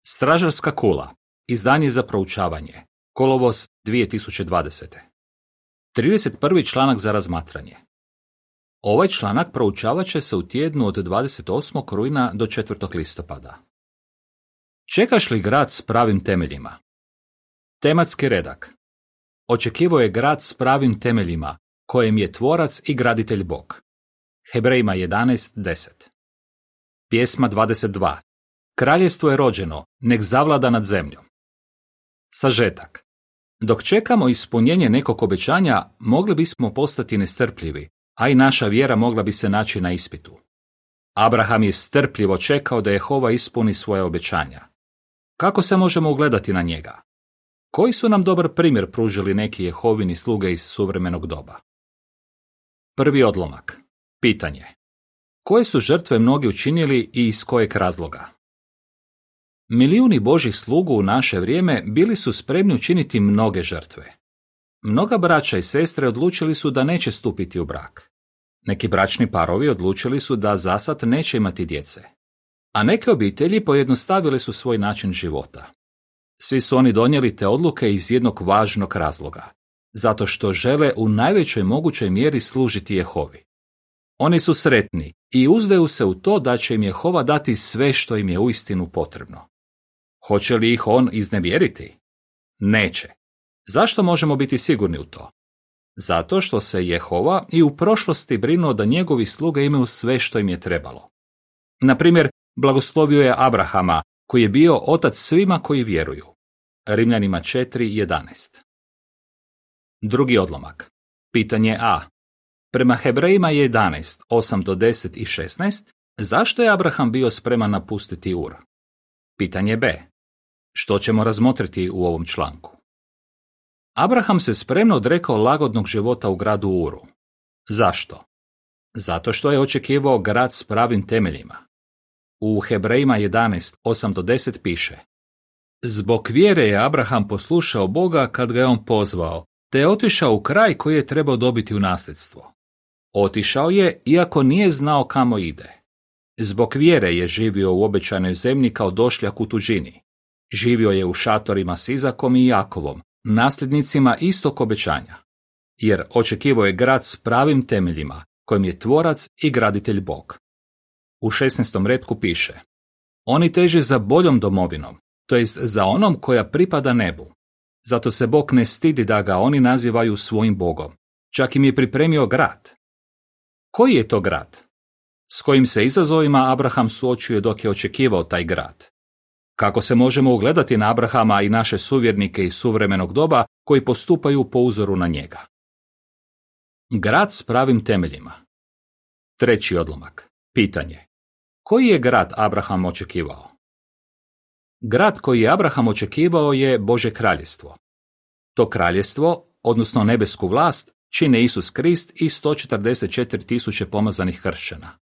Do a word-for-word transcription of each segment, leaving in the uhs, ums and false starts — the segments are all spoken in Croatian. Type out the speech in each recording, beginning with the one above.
Stražarska kula. Izdanje za proučavanje. Kolovoz dvije tisuće dvadesete. trideset prvi članak za razmatranje. Ovaj članak proučavat će se u tjednu od dvadeset osmog rujna do četvrtog listopada. Čekaš li grad s pravim temeljima? Tematski redak. Očekivao je grad s pravim temeljima, kojem je tvorac i graditelj Bog. Hebrejima jedanaest deset. Pjesma dvadeset dva. Kraljevstvo je rođeno, nek zavlada nad zemljom. Sažetak. Dok čekamo ispunjenje nekog obećanja, mogli bismo postati nestrpljivi, a i naša vjera mogla bi se naći na ispitu. Abraham je strpljivo čekao da Jehova ispuni svoje obećanja. Kako se možemo ugledati na njega? Koji su nam dobar primjer pružili neki Jehovini sluge iz suvremenog doba? Prvi odlomak. Pitanje. Koje su žrtve mnogi učinili i iz kojeg razloga? Milijuni Božjih slugu u naše vrijeme bili su spremni učiniti mnoge žrtve. Mnoga braća i sestre odlučili su da neće stupiti u brak. Neki bračni parovi odlučili su da zasad neće imati djece. A neke obitelji pojednostavile su svoj način života. Svi su oni donijeli te odluke iz jednog važnog razloga. Zato što žele u najvećoj mogućoj mjeri služiti Jehovi. Oni su sretni i uzdaju se u to da će im Jehova dati sve što im je uistinu potrebno. Hoće li ih on iznevjeriti? Neće. Zašto možemo biti sigurni u to? Zato što se Jehova i u prošlosti brinuo da njegovi sluge imaju sve što im je trebalo. Na primjer, blagoslovio je Abrahama, koji je bio otac svima koji vjeruju. Rimljanima četiri jedanaest. Drugi odlomak. Pitanje A. Prema Hebrejima jedanaest osam do deset i šesnaest, zašto je Abraham bio spreman napustiti Ur? Pitanje B. Što ćemo razmotriti u ovom članku? Abraham se spremno odrekao lagodnog života u gradu Uru. Zašto? Zato što je očekivao grad s pravim temeljima. U Hebrejima jedanaest osam do deset piše: Zbog vjere je Abraham poslušao Boga kad ga je on pozvao, te je otišao u kraj koji je trebao dobiti u nasljedstvo. Otišao je iako nije znao kamo ide. Zbog vjere je živio u obećanoj zemlji kao došljak u tuđini. Živio je u šatorima s Izakom i Jakovom, nasljednicima istog obećanja. Jer očekivao je grad s pravim temeljima, kojim je tvorac i graditelj Bog. U šesnaestom retku piše: Oni teže za boljom domovinom, to jest za onom koja pripada nebu. Zato se Bog ne stidi da ga oni nazivaju svojim Bogom. Čak im je pripremio grad. Koji je to grad? S kojim se izazovima Abraham suočio dok je očekivao taj grad? Kako se možemo ugledati na Abrahama i naše suvjernike iz suvremenog doba koji postupaju po uzoru na njega? Grad s pravim temeljima. Treći odlomak. Pitanje. Koji je grad Abraham očekivao? Grad koji je Abraham očekivao je Božje kraljevstvo. To kraljevstvo, odnosno nebesku vlast, čine Isus Krist i sto četrdeset četiri tisuće pomazanih kršćana.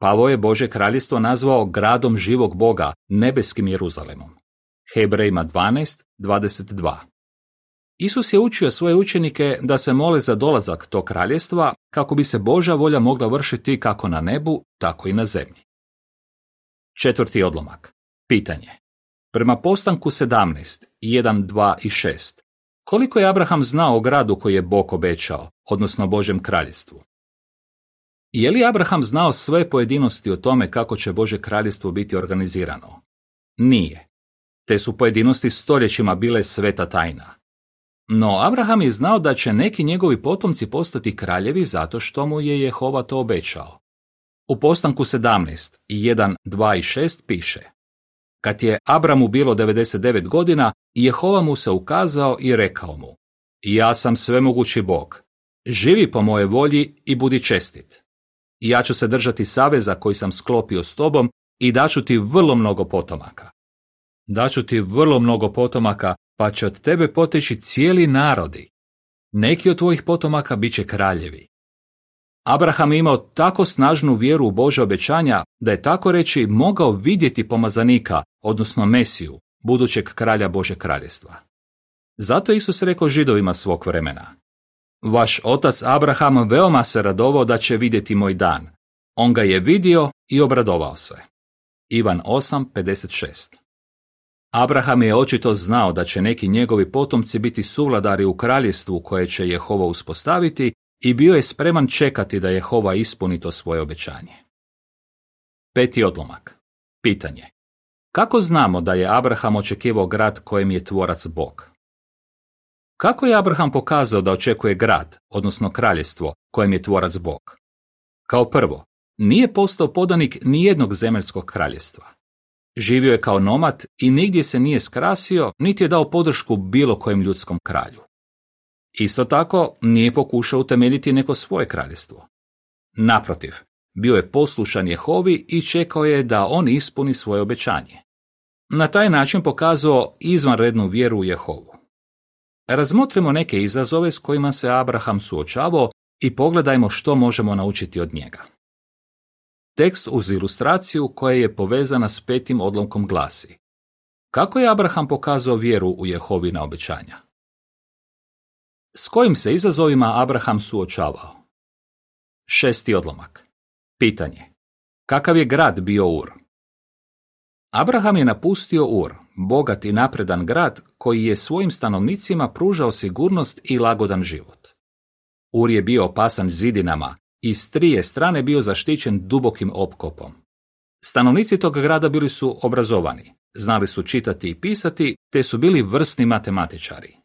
Pavao je Božje kraljevstvo nazvao gradom živog Boga, nebeskim Jeruzalemom. Hebrejima dvanaest dvadeset dva. Isus je učio svoje učenike da se mole za dolazak tog kraljevstva kako bi se Božja volja mogla vršiti kako na nebu, tako i na zemlji. Četvrti odlomak. Pitanje. Prema Postanku sedamnaest jedan, dva i šest, koliko je Abraham znao o gradu koji je Bog obećao, odnosno Božjem kraljevstvu? Je li Abraham znao sve pojedinosti o tome kako će Božje kraljevstvo biti organizirano? Nije. Te su pojedinosti stoljećima bile sveta tajna. No Abraham je znao da će neki njegovi potomci postati kraljevi zato što mu je Jehova to obećao. U Postanku sedamnaest jedan, dva i šest piše: Kad je Abramu bilo devedeset devet godina, Jehova mu se ukazao i rekao mu: Ja sam svemogući Bog. Živi po moje volji i budi čestit. Ja ću se držati saveza koji sam sklopio s tobom i daću ti vrlo mnogo potomaka. Daću ti vrlo mnogo potomaka, pa će od tebe poteći cijeli narodi. Neki od tvojih potomaka bit će kraljevi. Abraham je imao tako snažnu vjeru u Božja obećanja da je tako reći mogao vidjeti pomazanika, odnosno Mesiju, budućeg kralja Božjeg kraljevstva. Zato je Isus rekao Židovima svog vremena: Vaš otac Abraham veoma se radovao da će vidjeti moj dan. On ga je vidio i obradovao se. Ivan osam pedeset šest. Abraham je očito znao da će neki njegovi potomci biti suvladari u kraljestvu koje će Jehova uspostaviti i bio je spreman čekati da Jehova ispuni to svoje obećanje. Peti odlomak. Pitanje. Kako znamo da je Abraham očekivao grad kojem je tvorac Bog? Kako je Abraham pokazao da očekuje grad, odnosno kraljestvo, kojem je tvorac Bog? Kao prvo, nije postao podanik nijednog zemaljskog kraljestva. Živio je kao nomad i nigdje se nije skrasio, niti je dao podršku bilo kojem ljudskom kralju. Isto tako, nije pokušao utemeljiti neko svoje kraljestvo. Naprotiv, bio je poslušan Jehovi i čekao je da on ispuni svoje obećanje. Na taj način pokazao izvanrednu vjeru u Jehovu. Razmotrimo neke izazove s kojima se Abraham suočavao i pogledajmo što možemo naučiti od njega. Tekst uz ilustraciju koja je povezana s petim odlomkom glasi: kako je Abraham pokazao vjeru u Jehovina obećanja? S kojim se izazovima Abraham suočavao? Šesti odlomak. Pitanje. Kakav je grad bio Ur? Abraham je napustio Ur, bogat i napredan grad koji je svojim stanovnicima pružao sigurnost i lagodan život. Ur je bio opasan zidinama i s trije strane bio zaštićen dubokim opkopom. Stanovnici tog grada bili su obrazovani, znali su čitati i pisati, te su bili vrsni matematičari.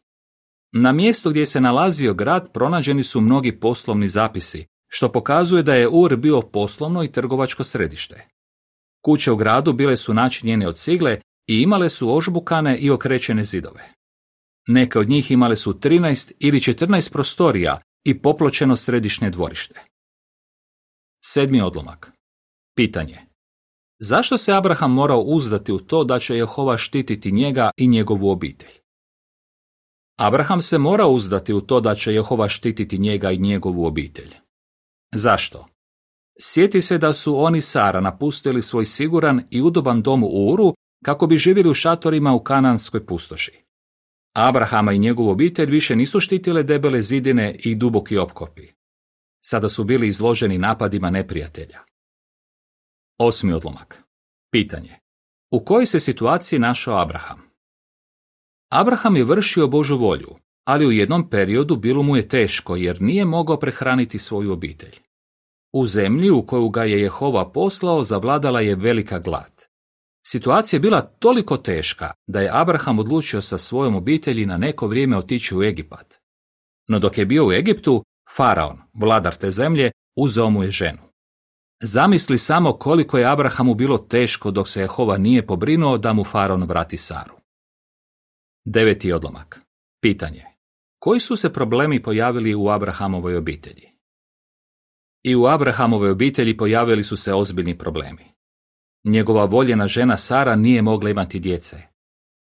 Na mjestu gdje se nalazio grad pronađeni su mnogi poslovni zapisi, što pokazuje da je Ur bio poslovno i trgovačko središte. Kuće u gradu bile su načinjene od cigle i imale su ožbukane i okrećene zidove. Neke od njih imale su trinaest ili četrnaest prostorija i popločeno središnje dvorište. Sedmi odlomak. Pitanje. Zašto se Abraham morao uzdati u to da će Jehova štititi njega i njegovu obitelj? Abraham se mora uzdati u to da će Jehova štititi njega i njegovu obitelj. Zašto? Sjeti se da su oni Sara napustili svoj siguran i udoban dom u Uru kako bi živjeli u šatorima u kananskoj pustoši. Abrahama i njegovu obitelj više nisu štitile debele zidine i duboki opkopi. Sada su bili izloženi napadima neprijatelja. Osmi odlomak. Pitanje. U kojoj se situaciji našao Abraham? Abraham je vršio Božju volju, ali u jednom periodu bilo mu je teško jer nije mogao prehraniti svoju obitelj. U zemlji u koju ga je Jehova poslao zavladala je velika glad. Situacija je bila toliko teška da je Abraham odlučio sa svojom obitelji na neko vrijeme otići u Egipat. No dok je bio u Egiptu, Faraon, vladar te zemlje, uzeo mu je ženu. Zamisli samo koliko je Abrahamu bilo teško dok se Jehova nije pobrinuo da mu Faraon vrati Saru. Deveti odlomak. Pitanje. Koji su se problemi pojavili u Abrahamovoj obitelji? I u Abrahamovoj obitelji pojavili su se ozbiljni problemi. Njegova voljena žena Sara nije mogla imati djece.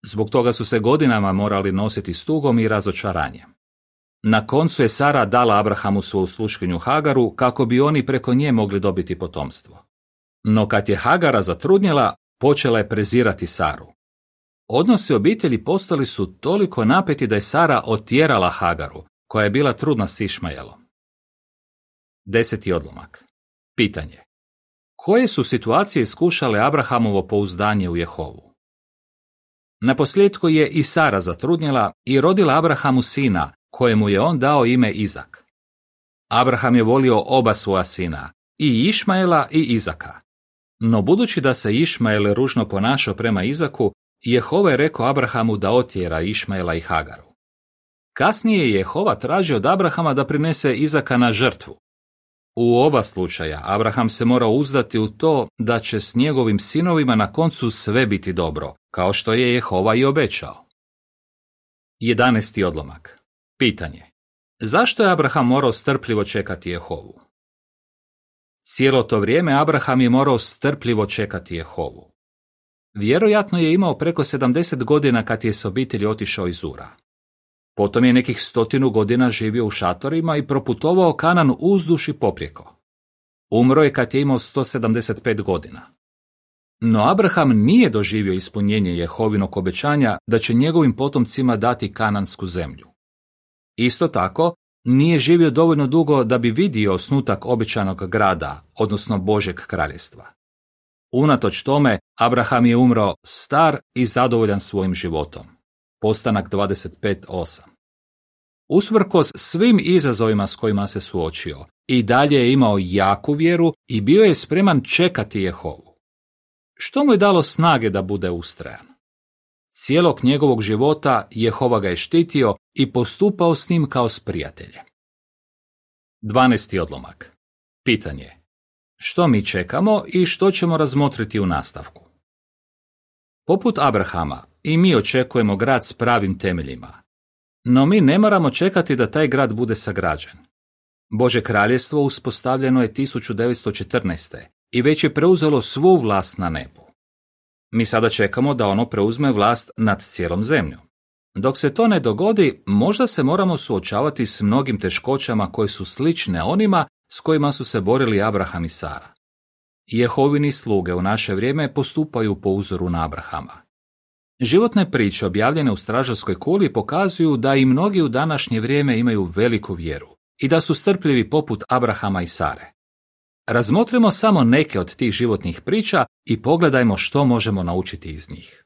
Zbog toga su se godinama morali nositi s tugom i razočaranjem. Na koncu je Sara dala Abrahamu svoju sluškinju Hagaru kako bi oni preko nje mogli dobiti potomstvo. No kad je Hagara zatrudnjela, počela je prezirati Saru. Odnosi obitelji postali su toliko napeti da je Sara otjerala Hagaru, koja je bila trudna s Išmajelom. Deseti odlomak. Pitanje. Koje su situacije iskušale Abrahamovo pouzdanje u Jehovu? Naposljetku je i Sara zatrudnjela i rodila Abrahamu sina, kojemu je on dao ime Izak. Abraham je volio oba svoja sina, i Išmaela i Izaka. No budući da se Išmael ružno ponašao prema Izaku, Jehova je rekao Abrahamu da otjera Išmaela i Hagaru. Kasnije je Jehova tražio od Abrahama da prinese Izaka na žrtvu. U oba slučaja Abraham se mora uzdati u to da će s njegovim sinovima na koncu sve biti dobro, kao što je Jehova i obećao. Jedanesti odlomak. Pitanje. Zašto je Abraham morao strpljivo čekati Jehovu? Cijelo to vrijeme Abraham je morao strpljivo čekati Jehovu. Vjerojatno je imao preko sedamdeset godina kad je s obitelji otišao iz Ura. Potom je nekih stotinu godina živio u šatorima i proputovao Kanan uzduž i poprijeko. Umro je kad je imao sto sedamdeset pet godina. No Abraham nije doživio ispunjenje Jehovinog obećanja da će njegovim potomcima dati kanansku zemlju. Isto tako, nije živio dovoljno dugo da bi vidio osnutak obećanog grada, odnosno Božjeg kraljestva. Unatoč tome, Abraham je umro star i zadovoljan svojim životom. Postanak dvadeset pet osam. Usprkos svim izazovima s kojima se suočio, i dalje je imao jaku vjeru i bio je spreman čekati Jehovu. Što mu je dalo snage da bude ustrajan? Cijelog njegovog života Jehova ga je štitio i postupao s njim kao s prijateljem. dvanaesti odlomak. Pitanje. Što mi čekamo i što ćemo razmotriti u nastavku? Poput Abrahama, i mi očekujemo grad s pravim temeljima. No mi ne moramo čekati da taj grad bude sagrađen. Božje kraljevstvo uspostavljeno je tisuću devetsto četrnaeste. i već je preuzelo svu vlast na nebu. Mi sada čekamo da ono preuzme vlast nad cijelom zemljom. Dok se to ne dogodi, možda se moramo suočavati s mnogim teškoćama koje su slične onima s kojima su se borili Abraham i Sara. Jehovini sluge u naše vrijeme postupaju po uzoru na Abrahama. Životne priče objavljene u stražarskoj kuli pokazuju da i mnogi u današnje vrijeme imaju veliku vjeru i da su strpljivi poput Abrahama i Sare. Razmotrimo samo neke od tih životnih priča i pogledajmo što možemo naučiti iz njih.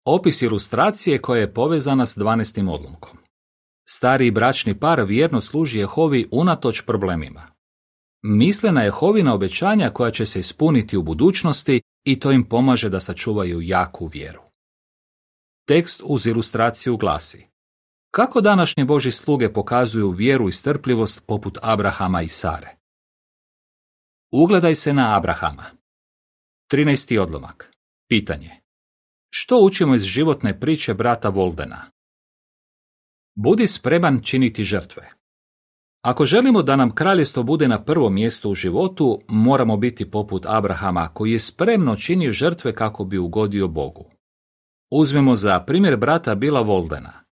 Opis ilustracije koja je povezana s dvanaestim odlomkom. Stari bračni par vjerno služi Jehovi unatoč problemima. Misle na Jehovina obećanja koja će se ispuniti u budućnosti i to im pomaže da sačuvaju jaku vjeru. Tekst uz ilustraciju glasi: kako današnje Božji sluge pokazuju vjeru i strpljivost poput Abrahama i Sare? Ugledaj se na Abrahama. trinaesti odlomak. Pitanje. Što učimo iz životne priče brata Voldena? Budi spreman činiti žrtve. Ako želimo da nam kraljevstvo bude na prvom mjestu u životu, moramo biti poput Abrahama koji je spremno činio žrtve kako bi ugodio Bogu. Uzmemo za primjer brata Billa Voldena.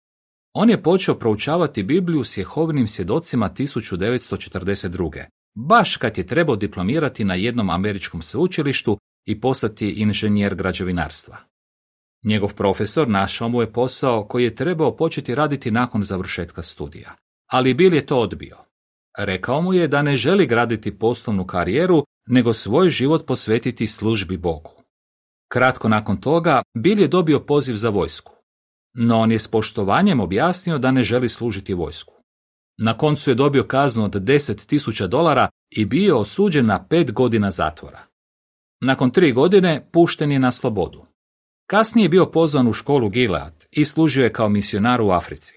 On je počeo proučavati Bibliju s Jehovinim svjedocima tisuću devetsto četrdeset druge. baš kad je trebao diplomirati na jednom američkom sveučilištu i postati inženjer građevinarstva. Njegov profesor našao mu je posao koji je trebao početi raditi nakon završetka studija, ali Bill je to odbio. Rekao mu je da ne želi graditi poslovnu karijeru, nego svoj život posvetiti službi Bogu. Kratko nakon toga, Bill je dobio poziv za vojsku, no on je s poštovanjem objasnio da ne želi služiti vojsku. Na koncu je dobio kaznu od deset tisuća dolara i bio osuđen na pet godina zatvora. Nakon tri godine pušten je na slobodu. Kasnije je bio pozvan u školu Gilead i služio je kao misionar u Africi.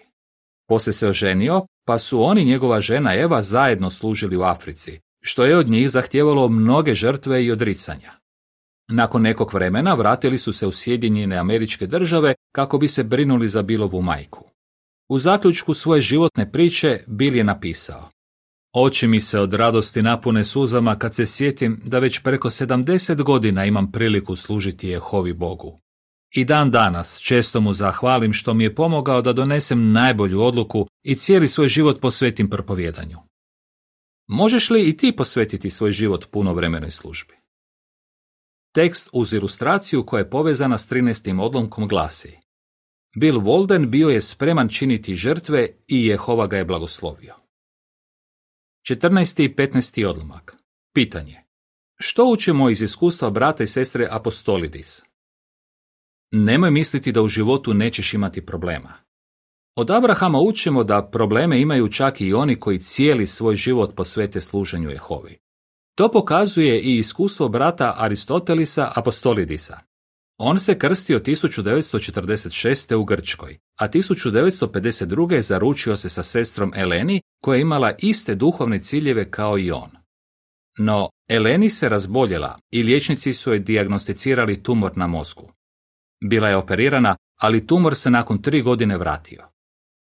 Poslije se oženio, pa su on i njegova žena Eva zajedno služili u Africi, što je od njih zahtijevalo mnoge žrtve i odricanja. Nakon nekog vremena vratili su se u Sjedinjene Američke Države kako bi se brinuli za Billovu majku. U zaključku svoje životne priče Bill je napisao: oči mi se od radosti napune suzama kad se sjetim da već preko sedamdeset godina imam priliku služiti Jehovi Bogu. I dan danas često mu zahvalim što mi je pomogao da donesem najbolju odluku i cijeli svoj život posvetim propovjedanju. Možeš li i ti posvetiti svoj život punovremenoj službi? Tekst uz ilustraciju koja je povezana s trinaestim odlomkom glasi: Bill Volden bio je spreman činiti žrtve i Jehova ga je blagoslovio. četrnaesti i petnaesti odlomak. Pitanje. Što učimo iz iskustva brata i sestre Apostolidis? Nemoj misliti da u životu nećeš imati problema. Od Abrahama učimo da probleme imaju čak i oni koji cijeli svoj život posvete služenju Jehovi. To pokazuje i iskustvo brata Aristotelisa Apostolidisa. On se krstio tisuću devetsto četrdeset šeste u Grčkoj, a tisuću devetsto pedeset druge zaručio se sa sestrom Eleni koja je imala iste duhovne ciljeve kao i on. No, Eleni se razboljela i liječnici su joj dijagnosticirali tumor na mozgu. Bila je operirana, ali tumor se nakon tri godine vratio.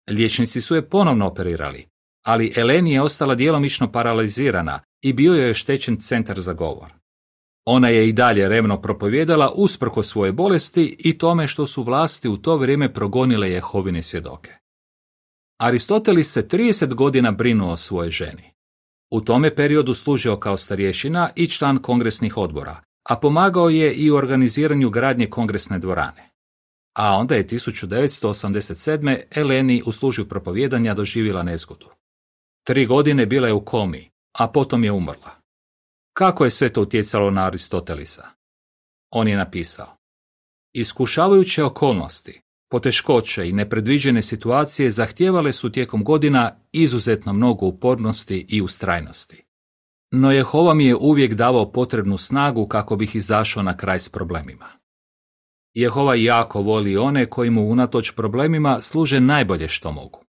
Liječnici su je ponovno operirali, ali Eleni je ostala djelomično paralizirana i bio joj je oštećen centar za govor. Ona je i dalje revno propovjedala usprkos svoje bolesti i tome što su vlasti u to vrijeme progonile Jehovine svjedoke. Aristotelis se trideset godina brinuo o svojoj ženi. U tome periodu služio kao starješina i član kongresnih odbora, a pomagao je i u organiziranju gradnje kongresne dvorane. A onda je tisuću devetsto osamdeset sedme Eleni u službi propovijedanja doživjela nezgodu. Tri godine bila je u komi, a potom je umrla. Kako je sve to utjecalo na Aristotelisa? On je napisao: iskušavajuće okolnosti, poteškoće i nepredviđene situacije zahtijevale su tijekom godina izuzetno mnogo upornosti i ustrajnosti. No Jehova mi je uvijek davao potrebnu snagu kako bih izašao na kraj s problemima. Jehova jako voli one koji mu unatoč problemima služe najbolje što mogu.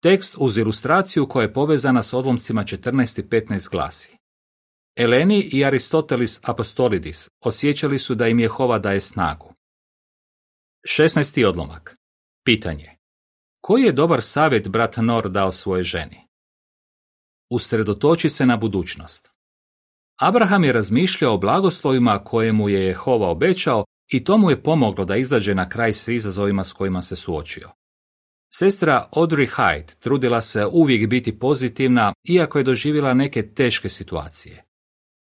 Tekst uz ilustraciju koja je povezana s odlomcima četrnaest i petnaest glasi: Eleni i Aristotelis Apostolidis osjećali su da im Jehova daje snagu. šesnaesti odlomak. Pitanje: koji je dobar savjet brat Nor dao svojoj ženi? Usredotoči se na budućnost. Abraham je razmišljao o blagoslovima koje mu je Jehova obećao i to mu je pomoglo da izađe na kraj s izazovima s kojima se suočio. Sestra Audrey Hyde trudila se uvijek biti pozitivna, iako je doživjela neke teške situacije.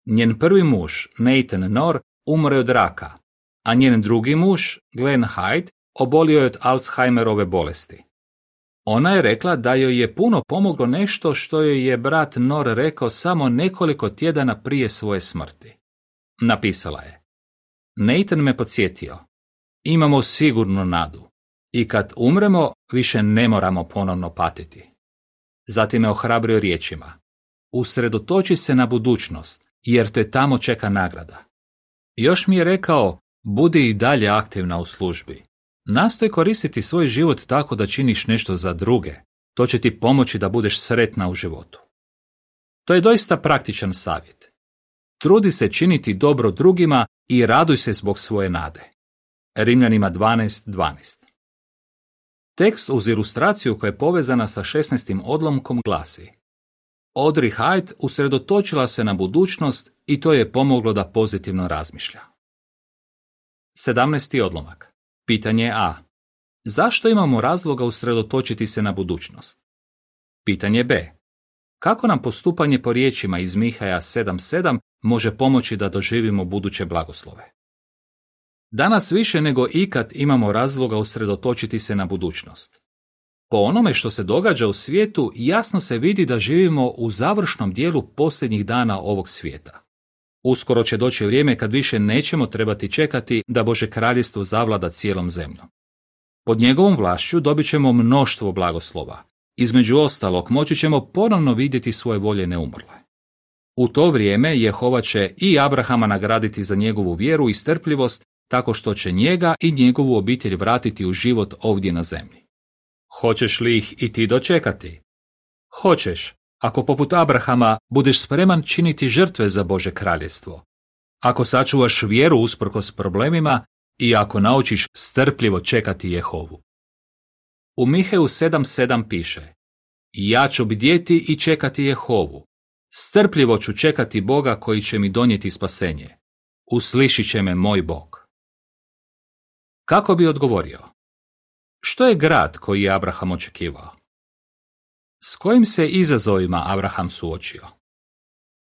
Njen prvi muž, Nathan Nor, umro je od raka, a njen drugi muž, Glenn Hyde, obolio je od Alzheimerove bolesti. Ona je rekla da joj je puno pomoglo nešto što joj je brat Nor rekao samo nekoliko tjedana prije svoje smrti. Napisala je: Nathan me podsjetio, imamo sigurnu nadu i kad umremo više ne moramo ponovno patiti. Zatim me ohrabrio riječima: usredotoči se na budućnost, jer te tamo čeka nagrada. Još mi je rekao: budi i dalje aktivna u službi. Nastoj koristiti svoj život tako da činiš nešto za druge. To će ti pomoći da budeš sretna u životu. To je doista praktičan savjet. Trudi se činiti dobro drugima i raduj se zbog svoje nade. Rimljanima dvanaest dvanaest. Tekst uz ilustraciju koja je povezana sa šesnaestim odlomkom glasi: Audrey Hyde usredotočila se na budućnost i to je pomoglo da pozitivno razmišlja. sedamnaesti odlomak. Pitanje A. Zašto imamo razloga usredotočiti se na budućnost? Pitanje B. Kako nam postupanje po riječima iz Mihaja sedam sedam može pomoći da doživimo buduće blagoslove? Danas više nego ikad imamo razloga usredotočiti se na budućnost. Po onome što se događa u svijetu, jasno se vidi da živimo u završnom dijelu posljednjih dana ovog svijeta. Uskoro će doći vrijeme kad više nećemo trebati čekati da Bože kraljevstvo zavlada cijelom zemljom. Pod njegovom vlašću dobit ćemo mnoštvo blagoslova. Između ostalog, moći ćemo ponovno vidjeti svoje voljene umrle. U to vrijeme Jehova će i Abrahama nagraditi za njegovu vjeru i strpljivost, tako što će njega i njegovu obitelj vratiti u život ovdje na zemlji. Hoćeš li ih i ti dočekati? Hoćeš, ako poput Abrahama budeš spreman činiti žrtve za Bože kraljevstvo, ako sačuvaš vjeru usprkos problemima i ako naučiš strpljivo čekati Jehovu. U Miheju sedam sedam piše: ja ću bdjeti i čekati Jehovu. Strpljivo ću čekati Boga koji će mi donijeti spasenje. Uslišit će me moj Bog. Kako bi odgovorio? Što je grad koji je Abraham očekivao? S kojim se izazovima Abraham suočio?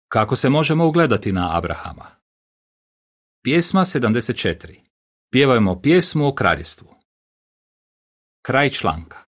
Kako se možemo ugledati na Abrahama? Pjesma sedamdeset četiri. Pjevajmo pjesmu o kraljestvu. Kraj članka.